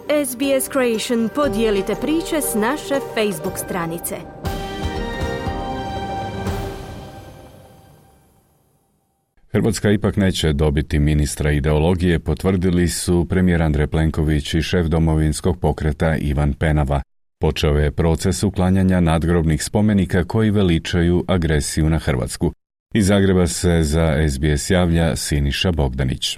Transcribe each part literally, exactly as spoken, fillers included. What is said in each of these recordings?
S B S Creation podijelite priče s naše Facebook stranice. Hrvatska ipak neće dobiti ministra ideologije, potvrdili su premijer Andrej Plenković i šef domovinskog pokreta Ivan Penava. Počeo je proces uklanjanja nadgrobnih spomenika koji veličaju agresiju na Hrvatsku. Iz Zagreba se za S B S javlja Siniša Bogdanić.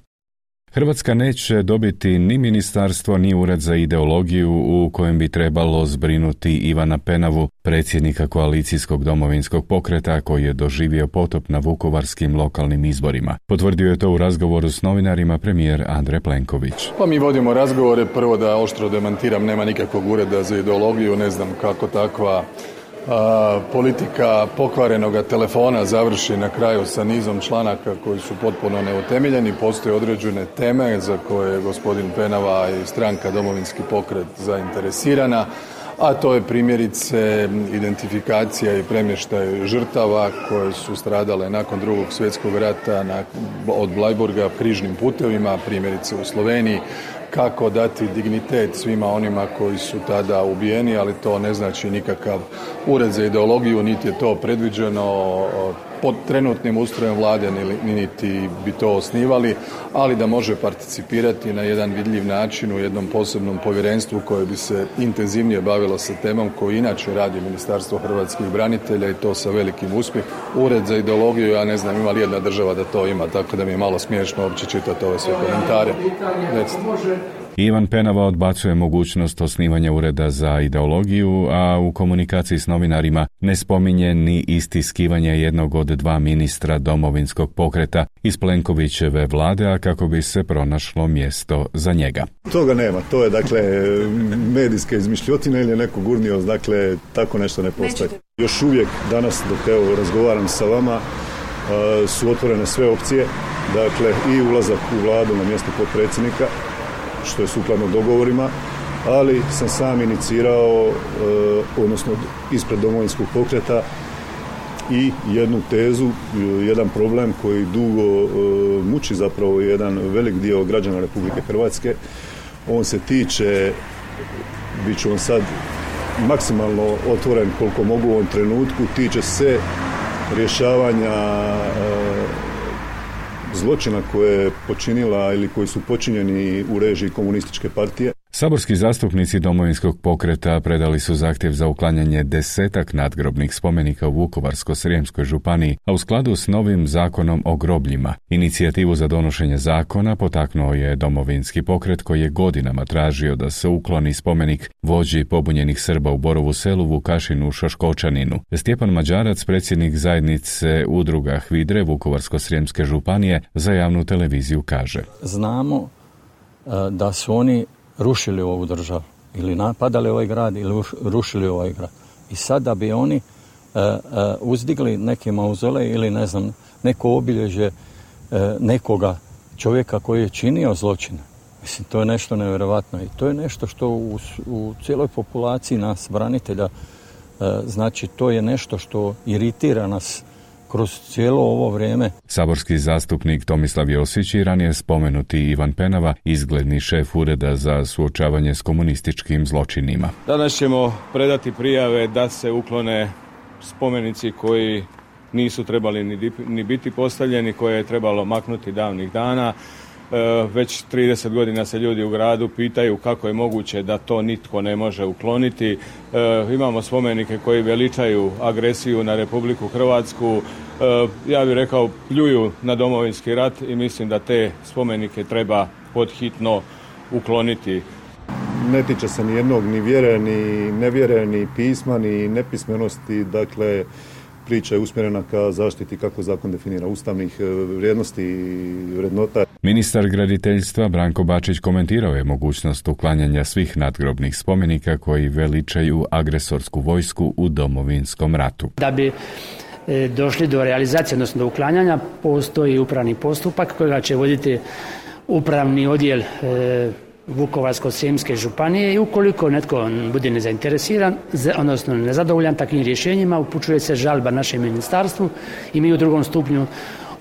Hrvatska neće dobiti ni ministarstvo ni ured za ideologiju u kojem bi trebalo zbrinuti Ivana Penavu, predsjednika koalicijskog domovinskog pokreta koji je doživio potop na vukovarskim lokalnim izborima. Potvrdio je to u razgovoru s novinarima premijer Andrej Plenković. Pa mi vodimo razgovore, prvo da oštro demantiram, nema nikakvog ureda za ideologiju, ne znam kako takva A, politika pokvarenoga telefona završi na kraju sa nizom članaka koji su potpuno neutemeljeni. Postoje određene teme za koje je gospodin Penava i stranka Domovinski pokret zainteresirana, a to je primjerice identifikacija i premještaj žrtava koje su stradale nakon drugog svjetskog rata na, od Bleiburga križnim putevima, primjerice u Sloveniji, kako dati dignitet svima onima koji su tada ubijeni, ali to ne znači nikakav ured za ideologiju, niti je to predviđeno pod trenutnim ustrojem vlade, niti bi to osnivali, ali da može participirati na jedan vidljiv način u jednom posebnom povjerenstvu koje bi se intenzivnije bavilo sa temom koju inače radi Ministarstvo hrvatskih branitelja i to sa velikim uspjehom. Ured za ideologiju, ja ne znam ima li jedna država da to ima, tako da mi je malo smiješno uopće čitati ove sve komentare. Recite. Ivan Penava odbacuje mogućnost osnivanja ureda za ideologiju, a u komunikaciji s novinarima ne spominje ni istiskivanje jednog od dva ministra domovinskog pokreta iz Plenkovićeve vlade, a kako bi se pronašlo mjesto za njega. Toga nema, to je dakle medijske izmišljotine ili je neko gurnio, dakle tako nešto ne postoji. Još uvijek danas dok evo razgovaram sa vama su otvorene sve opcije, dakle i ulazak u vladu na mjesto potpredsjednika, što je sukladno dogovorima, ali sam sam inicirao, eh, odnosno ispred domovinskog pokreta i jednu tezu, jedan problem koji dugo eh, muči zapravo jedan velik dio građana Republike Hrvatske. On se tiče, bit ću vam sad maksimalno otvoren koliko mogu u ovom trenutku, tiče se rješavanja eh, zločina koje je počinila ili koji su počinjeni u režiji komunističke partije. Saborski zastupnici domovinskog pokreta predali su zahtjev za uklanjanje desetak nadgrobnih spomenika u Vukovarsko-srijemskoj županiji, a u skladu s novim zakonom o grobljima. Inicijativu za donošenje zakona potaknuo je domovinski pokret koji je godinama tražio da se ukloni spomenik vođi pobunjenih Srba u Borovu Selu, Vukašinu Šoškočaninu. Stjepan Mađarac, predsjednik zajednice udruga Hvidre Vukovarsko-srijemske županije, za javnu televiziju kaže: Znamo uh, da su oni rušili ovu državu ili napadali ovaj grad ili rušili ovaj grad. I sad da bi oni uh, uh, uzdigli neki mauzolej ili ne znam, neko obilježje uh, nekoga čovjeka koji je činio zločine. Mislim, to je nešto nevjerovatno i to je nešto što u, u cijeloj populaciji nas branitelja uh, znači to je nešto što iritira nas kroz cijelo ovo vrijeme. Saborski zastupnik Tomislav Josić i ranije spomenuti Ivan Penava, izgledni šef ureda za suočavanje s komunističkim zločinima. Danas ćemo predati prijave da se uklone spomenici koji nisu trebali ni, ni biti postavljeni, koje je trebalo maknuti davnih dana. E, već trideset godina se ljudi u gradu pitaju kako je moguće da to nitko ne može ukloniti. E, imamo spomenike koji veličaju agresiju na Republiku Hrvatsku. E, ja bih rekao pljuju na Domovinski rat i mislim da te spomenike treba podhitno ukloniti. Ne tiče se ni jednog, ni vjere, ni nevjere, ni pisma, ni nepismenosti, dakle priča je usmjerena ka zaštiti kako zakon definira ustavnih vrijednosti i vrednota. Ministar graditeljstva Branko Bačić komentirao je mogućnost uklanjanja svih nadgrobnih spomenika koji veličaju agresorsku vojsku u Domovinskom ratu. Da bi e, došli do realizacije, odnosno do uklanjanja, postoji upravni postupak kojega će voditi upravni odjel e, Vukovarsko-srijemske županije i ukoliko netko bude nezainteresiran, odnosno nezadovoljan takvim rješenjima, upućuje se žalba našem ministarstvu i mi u drugom stupnju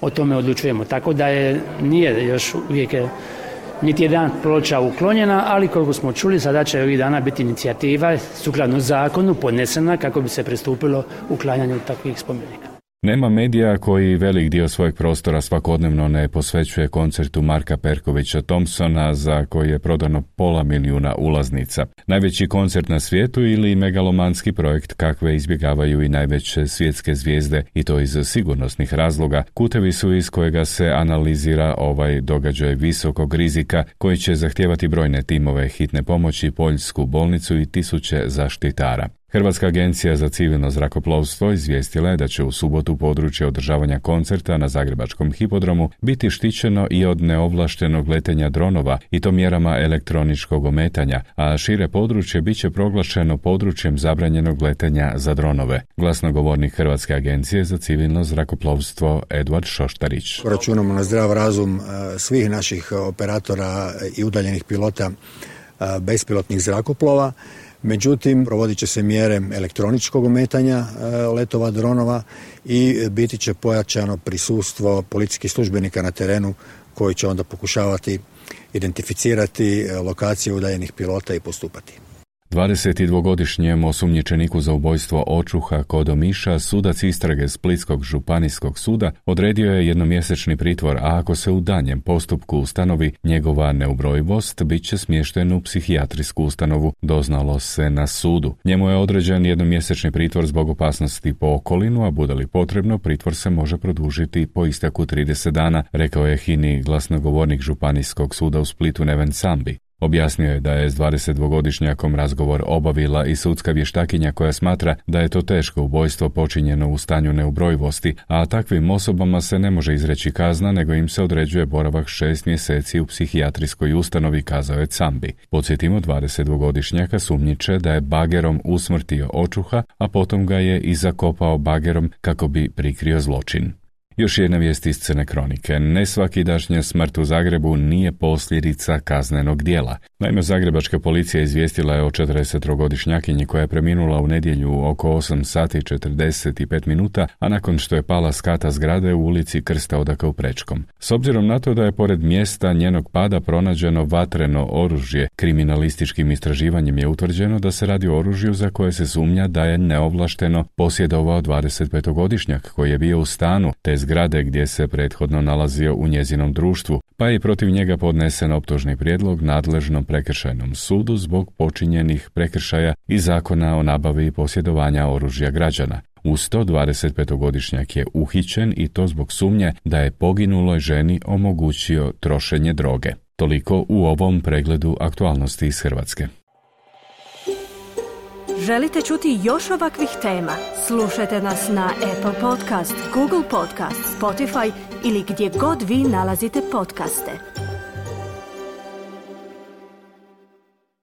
o tome odlučujemo. Tako da je, nije još uvijek niti jedan ploča uklonjena, ali koliko smo čuli, sada će ovih dana biti inicijativa sukladno zakonu podnesena kako bi se pristupilo uklanjanju takvih spomenika. Nema medija koji velik dio svojeg prostora svakodnevno ne posvećuje koncertu Marka Perkovića Thompsona za koji je prodano pola milijuna ulaznica. Najveći koncert na svijetu ili megalomanski projekt kakve izbjegavaju i najveće svjetske zvijezde i to iz sigurnosnih razloga, kutevi su iz kojega se analizira ovaj događaj visokog rizika koji će zahtijevati brojne timove hitne pomoći, poljsku bolnicu i tisuće zaštitara. Hrvatska agencija za civilno zrakoplovstvo izvijestila je da će u subotu područje održavanja koncerta na Zagrebačkom hipodromu biti štićeno i od neovlaštenog letenja dronova i to mjerama elektroničkog ometanja, a šire područje bit će proglašeno područjem zabranjenog letenja za dronove. Glasnogovornik Hrvatske agencije za civilno zrakoplovstvo Eduard Šoštarić. Računamo na zdrav razum svih naših operatora i udaljenih pilota bespilotnih zrakoplova. Međutim, provodit će se mjere elektroničkog ometanja letova dronova i biti će pojačano prisustvo policijskih službenika na terenu koji će onda pokušavati identificirati lokacije udaljenih pilota i postupati. dvadesetdvogodišnjem osumnjičeniku za ubojstvo očuha kod Omiša sudac istrage Splitskog županijskog suda odredio je jednomjesečni pritvor, a ako se u danjem postupku ustanovi njegova neubrojivost, bit će smješten u psihijatrijsku ustanovu, doznalo se na sudu. Njemu je određen jednomjesečni pritvor zbog opasnosti po okolinu, a bude li potrebno, pritvor se može produžiti po isteku trideset dana, rekao je H I N A glasnogovornik Županijskog suda u Splitu Neven Sambi. Objasnio je da je s dvadesetdvogodišnjakom razgovor obavila i sudska vještakinja koja smatra da je to teško ubojstvo počinjeno u stanju neubrojivosti, a takvim osobama se ne može izreći kazna, nego im se određuje boravak šest mjeseci u psihijatrijskoj ustanovi, kazao je Cambi. Podsjetimo, dvadesetdvogodišnjaka sumnjiče da je bagerom usmrtio očuha, a potom ga je i zakopao bagerom kako bi prikrio zločin. Još jedna vijest iz Crne kronike. Nesvakidašnja smrt u Zagrebu nije posljedica kaznenog djela. Naime, zagrebačka policija izvijestila je o četrdesettrogodišnjakinji koja je preminula u nedjelju oko osam sati i četrdeset pet minuta, a nakon što je pala s kata zgrade u ulici Krsta Odaka u Prečkom. S obzirom na to da je pored mjesta njenog pada pronađeno vatreno oružje, kriminalističkim istraživanjem je utvrđeno da se radi o oružju za koje se sumnja da je neovlašteno posjedovao dvadesetpetogodišnjak koji je bio u stanu te zgrade gdje se prethodno nalazio u njezinom društvu, pa je protiv njega podnesen optužni prijedlog nadležnom prekršajnom sudu zbog počinjenih prekršaja i Zakona o nabavi i posjedovanja oružja građana. Uz to dvadesetpetogodišnjak je uhićen i to zbog sumnje da je poginuloj ženi omogućio trošenje droge. Toliko u ovom pregledu aktualnosti iz Hrvatske. Želite čuti još ovakvih tema? Slušajte nas na Apple Podcast, Google Podcast, Spotify ili gdje god vi nalazite podcaste.